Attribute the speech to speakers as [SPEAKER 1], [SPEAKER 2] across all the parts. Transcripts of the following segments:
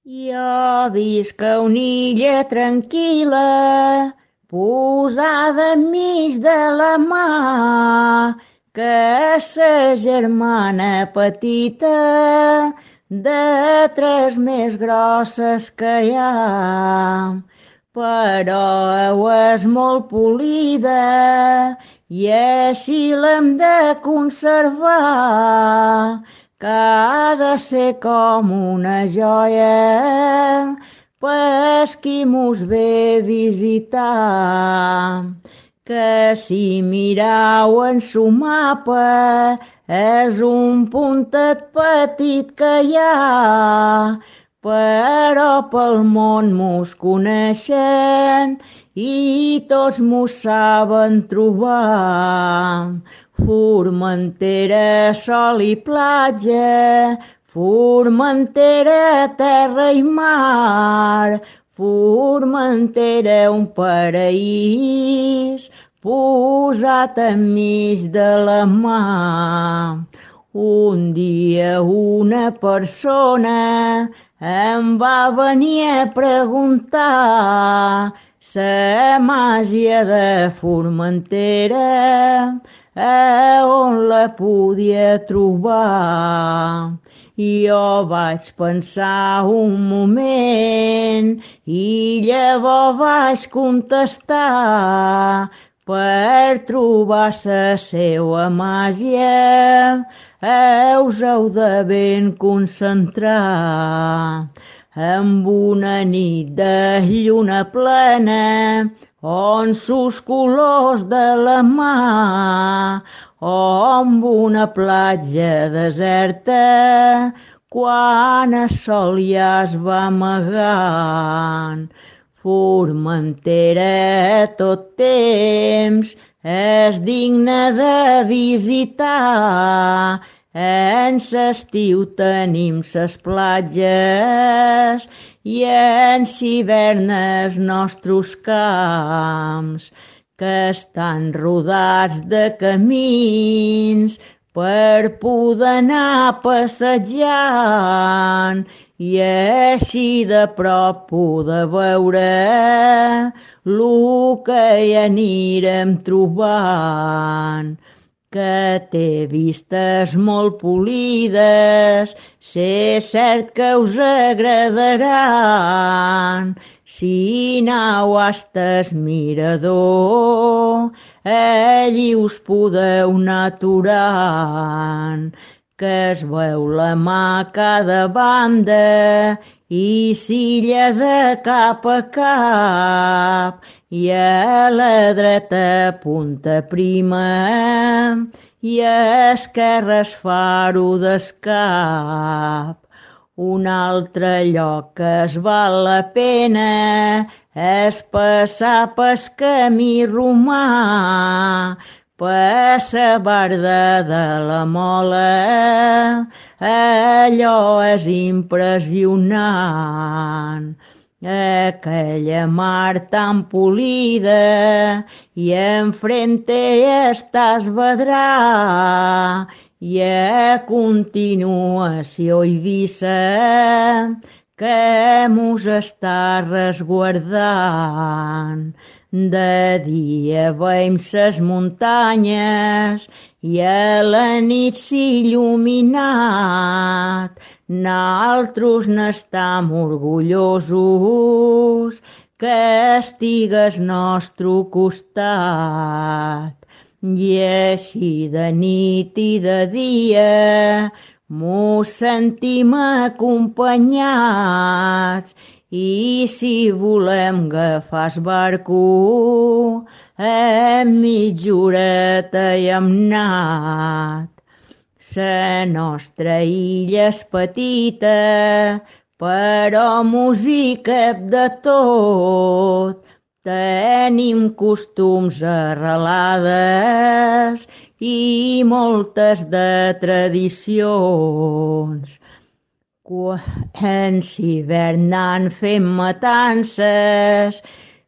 [SPEAKER 1] Jo visc a una illa tranquil·la, posada enmig de la mar, que sa germana petita de tres més grosses que hi ha. Però és molt polida i així l'hem de conservar, que ha de ser com una joia pels qui mos ve visitar. Que si mirau en su mapa és un puntet petit que hi ha, però pel món mos coneixen i tots mos saben trobar. Formentera, sol i platja, Formentera, terra i mar, Formentera, un paraís posat enmig de la mar. Un dia una persona em va venir a preguntar la màgia de Formentera, on la podia trobar. Jo vaig pensar un moment i llavors vaig contestar: per trobar la seua màgia us heu de ben concentrar. Amb una nit de lluna plena, on sus colors de la mar, o amb una platja deserta, quan el sol ja es va amagant. Formentera tot temps és digna de visitar. En l'estiu tenim ses platges i en l'hivern els nostres camps, que estan rodats de camins per poder anar passejant i així de prop poder veure lo que hi anirem trobant. Que té vistes molt polides, sé cert que us agradaran. Si aneu hasta el mirador, allí us podeu anar aturant, que es veu la mà a cada banda i s'illa de cap a cap, i a la dreta punta prima i a esquerra es faro d'escap. Un altre lloc que es val la pena és passar pel camí romà, per la barda de la Mola, allò és impressionant. Aquella mar tan polida i enfrente estàs vedrà, i a continuació Eivissa, que mos està resguardant. De dia veiem ses muntanyes i a la nit s'il·luminat. Naltros n'estam orgullosos que estigues nostre costat. I així de nit i de dia mos sentim acompanyats, i si volem agafar el barco, en mitja horeta hi hem anat. La nostra illa és petita, però música de tot. Tenim costums arrelades i moltes de tradicions. Quan s'hivern fem matances,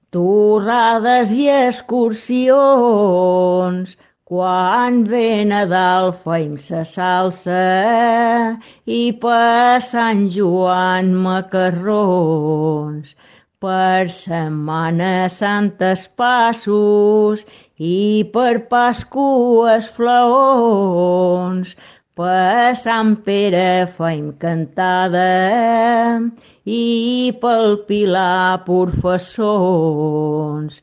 [SPEAKER 1] torrades i excursions, Quan ve Nadal feim sa salsa i per Sant Joan macarrons. Per Setmana Santa passos i per Pasqües flaons. Per Sant Pere feim cantada i pel Pilar professons.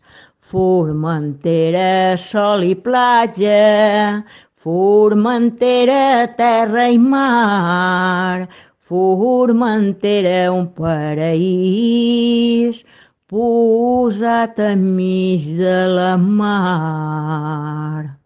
[SPEAKER 1] Formentera, sol i platja, Formentera, terra i mar, Formentera, un paraís posat enmig de la mar.